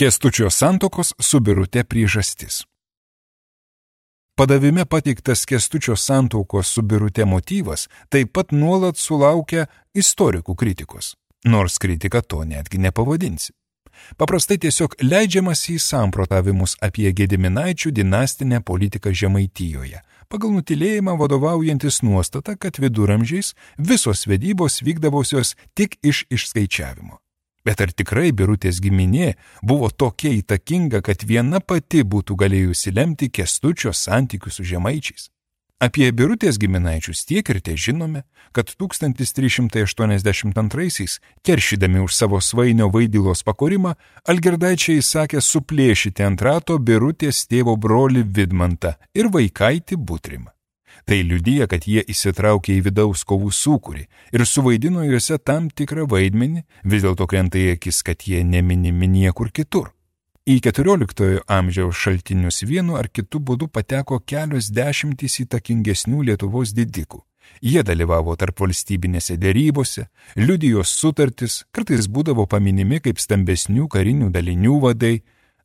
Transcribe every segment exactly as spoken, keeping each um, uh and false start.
Kęstučio santuokos su Birute priežastis. Padavime pateiktas Kęstučio santuokos su Birute motyvas taip pat nuolat sulaukia istorikų kritikos, nors kritika to netgi nepavadinsi. Paprastai tiesiog leidžiamas į samprotavimus apie Gediminaičių dinastinę politiką Žemaitijoje, pagal nutylėjimą vadovaujantis nuostata, kad viduramžiais visos vedybos vykdavusios tik iš išskaičiavimo. Bet ar tikrai Birutės giminė buvo tokia įtakinga, kad viena pati būtų galėjusi lemti Kęstučio santykių su žemaičiais? Apie Birutės giminaičius tiek ir te žinome, kad tūkstantis trys šimtai aštuoniasdešimt antraisiais, keršydami už savo svainio Vaidilos pakorimą, Algirdaičiai įsakė suplėšyti ant rato Birutės tėvo brolį Vidmantą ir vaikaitį Butrimą. Tai liudija, kad jie įsitraukė į vidaus kovų sūkurį ir suvaidino juose tam tikrą vaidmenį, vis dėlto krenta į akis, kad jie neminimi niekur kitur. Į keturioliktojo amžiaus šaltinius vienu ar kitu būdu pateko kelios dešimtys įtakingesnių Lietuvos didikų. Jie dalyvavo tarp valstybinėse dėrybose, liudijo sutartis, kartais būdavo paminimi kaip stambesnių karinių dalinių vadai.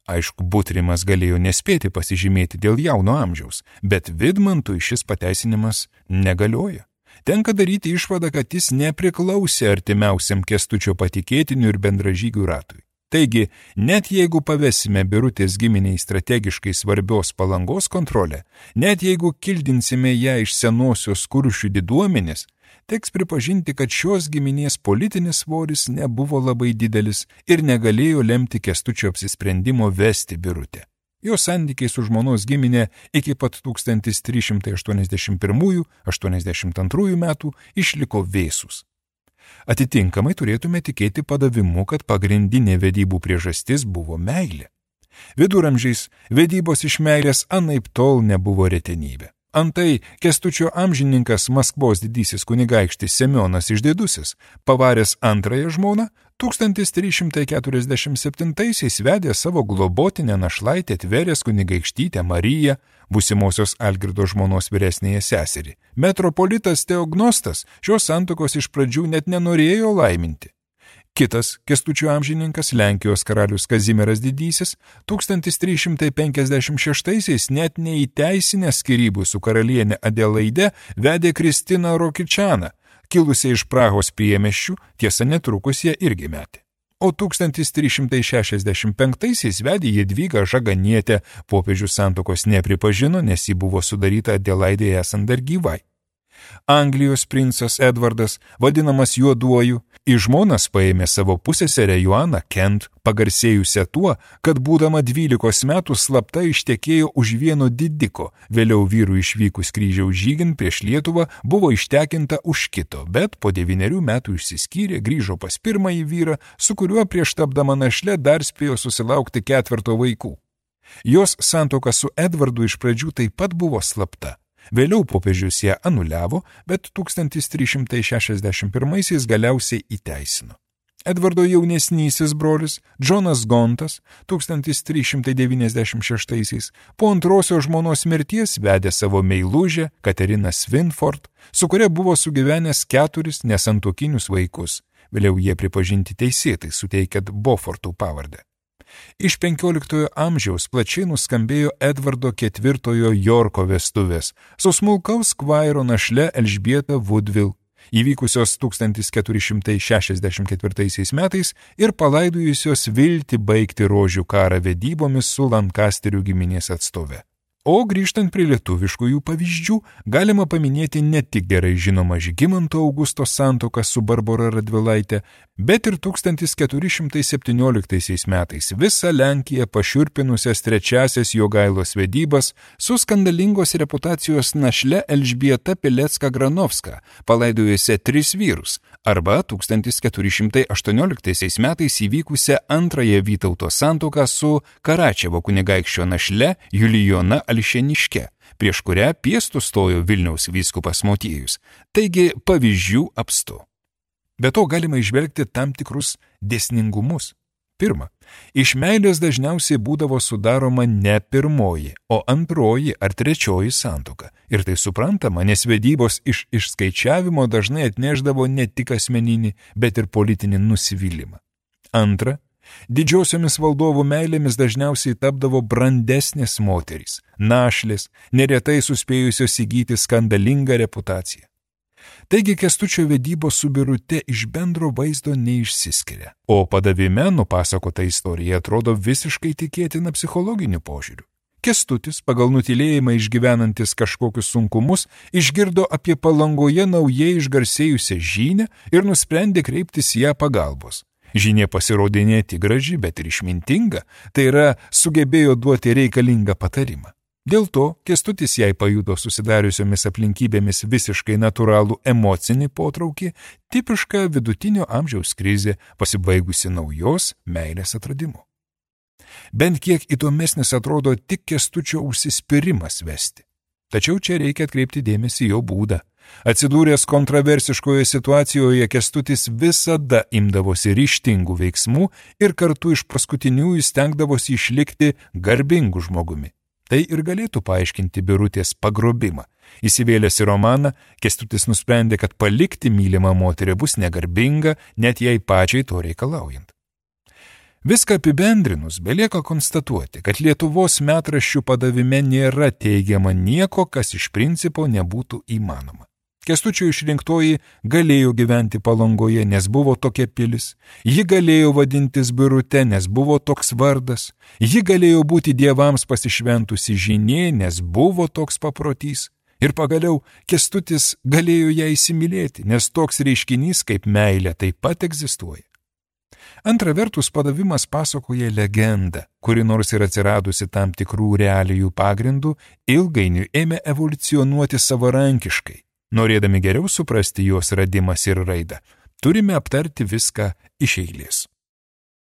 Aišku, Butrimas galėjo nespėti pasižymėti dėl jauno amžiaus, bet Vidmantui šis pateisinimas negalioja. Tenka daryti išvadą, kad jis nepriklausė artimiausiam Kęstučio patikėtinių ir bendražygių ratui. Taigi, net jeigu pavesime Birutės giminiai strategiškai svarbios Palangos kontrolę, net jeigu kildinsime ją iš senosios Kuršių diduomenės, teks pripažinti, kad šios giminės politinis svoris nebuvo labai didelis ir negalėjo lemti Kęstučio apsisprendimo vesti Birutę. Jo santykiai su žmonos giminė iki pat tūkstantis trys šimtai aštuoniasdešimt pirmųjų - aštuoniasdešimt antrųjų metų išliko vėsūs. Atitinkamai turėtume tikėti padavimu, kad pagrindinė vedybų priežastis buvo meilė. Viduramžiais vedybos iš meilės anaiptol nebuvo retenybė. Antai Kęstučio amžininkas Maskvos didysis kunigaikštis Semionas Išdidusis, pavaręs antrąją žmoną, tūkstantis trys šimtai keturiasdešimt septintaisiais vedė savo globotinę našlaitę Tverės kunigaikštytę Mariją, būsimosios Algirdo žmonos vyresnėje seserį. Metropolitas Teognostas šios santuokos iš pradžių net nenorėjo laiminti. Kitas Kęstučio amžininkas, Lenkijos karalius Kazimieras Didysis, tūkstantis trys šimtai penkiasdešimt šeštaisiais net neįteisinęs skyrybų su karalienė Adelaide vedė Kristiną Rokičaną, kilusią iš Prahos priemiesčių, tiesa netrukus ją irgi metė. O tūkstantis trys šimtai šešiasdešimt penktaisiais vedė Jadvygą Žaganietę, popiežius santuokos nepripažino, nes ji buvo sudaryta Adelaidėje esant dar gyvai. Anglijos princas Edvardas, vadinamas Juoduoju, į žmonas paėmė savo pusseserę Joaną Kent, pagarsėjusią tuo, kad būdama dvylikos metų slapta ištekėjo už vieno didiko, vėliau vyrų išvykus kryžiaus žygin prieš Lietuvą buvo ištekinta už kito, bet po devynerių metų išsiskyrė, grįžo pas pirmąjį vyrą, su kuriuo prieš tapdama našle dar spėjo susilaukti ketverto vaikų. Jos santuoka su Edvardu iš pradžių taip pat buvo slapta. Vėliau popiežius ją anuliavo, bet tūkstantis trys šimtai šešiasdešimt pirmaisiais galiausiai įteisino. Edvardo jaunesnysis brolis, Džonas Gontas, tūkstantis trys šimtai devyniasdešimt šeštaisiais, po antrosios žmonos mirties vedė savo meilužę Kateriną Svinford, su kuria buvo sugyvenęs keturis nesantuokinius vaikus. Vėliau jie pripažinti teisėtai, suteikiant Beaufortų pavardę. Iš penkioliktojo amžiaus plačiai nuskambėjo Edvardo ketvirtojo Jorko vestuvės su smulkaus skvairo našle Elžbieta Woodville, įvykusios tūkstantis keturi šimtai šešiasdešimt ketvirtaisiais metais ir palaidojusios viltį baigti rožių karą vedybomis su Lankasterių giminės atstove. O grįžtant prie lietuviškųjų pavyzdžių, galima paminėti ne tik gerai žinomą Žygimanto Augusto santuoką su Barbora Radvilaite, bet ir tūkstantis keturi šimtai septynioliktaisiais metais visą Lenkiją pašiurpinusias trečiasias Jogailos vedybas su skandalingos reputacijos našle Elžbieta Pilecka-Granovska, palaidojusią tris vyrus, arba tūkstantis keturi šimtai aštuonioliktaisiais metais įvykusią antrąją Vytauto santuoką su Karačevo kunigaikščio našle Julijona Alšėniške, prieš kurią piestu stojo Vilniaus vyskupas Motiejus. Taigi pavyzdžių apstu. Be to galima išvelgti tam tikrus dėsningumus. Pirma, iš meilės dažniausiai būdavo sudaroma ne pirmoji, o antroji ar trečioji santuoka. Ir tai suprantama, nes vedybos iš išskaičiavimo dažnai atnešdavo ne tik asmeninį, bet ir politinį nusivylimą. Antra, Didžiosiomis valdovų meilėmis dažniausiai tapdavo brandesnės moterys, našlės, neretai suspėjusios įgyti skandalingą reputaciją. Taigi Kęstučio vedybos su Birute iš bendro vaizdo neišsiskiria, o padavime nupasakota istorija atrodo visiškai tikėtina psichologiniu požiūriu. Kęstutis, pagal nutylėjimą išgyvenantis kažkokius sunkumus, išgirdo apie Palangoje naujai išgarsėjusią Žynę ir nusprendė kreiptis ją pagalbos. Žynė pasirodė ne tik graži, bet ir išmintinga, tai yra sugebėjo duoti reikalingą patarimą. Dėl to Kęstutis jai pajuto susidariusiomis aplinkybėmis visiškai natūralų emocinį potraukį, tipišką vidutinio amžiaus krizė, pasibaigusi naujos meilės atradimu. Bent kiek įdomesnis atrodo tik Kęstučio užsispyrimas vesti. Tačiau čia reikia atkreipti dėmesį jo būdą. Atsidūręs kontroversiškoje situacijoje, Kęstutis visada imdavosi ryžtingų veiksmų ir kartu iš paskutiniųjų stengdavosi išlikti garbingu žmogumi. Tai ir galėtų paaiškinti Birutės pagrobimą. Įsivėlęs į romaną, Kęstutis nusprendė, kad palikti mylimą moterį bus negarbinga, net jai pačiai to reikalaujant. Viską apibendrinus, belieka konstatuoti, kad Lietuvos metraščių padavime nėra teigiama nieko, kas iš principo nebūtų įmanoma. Kęstučio išrinktoji galėjo gyventi Palangoje, nes buvo tokia pilis, ji galėjo vadintis Birute, nes buvo toks vardas, ji galėjo būti dievams pasišventusi Žynė, nes buvo toks paprotys, ir pagaliau Kęstutis galėjo ją įsimylėti, nes toks reiškinys kaip meilė taip pat egzistuoja. Antra vertus, padavimas pasakoja legendą, kuri nors ir atsiradusi tam tikrų realijų pagrindų, ilgainiui ėmė evoliucionuoti savarankiškai. Norėdami geriau suprasti jos radimas ir raidą, turime aptarti viską iš eilės.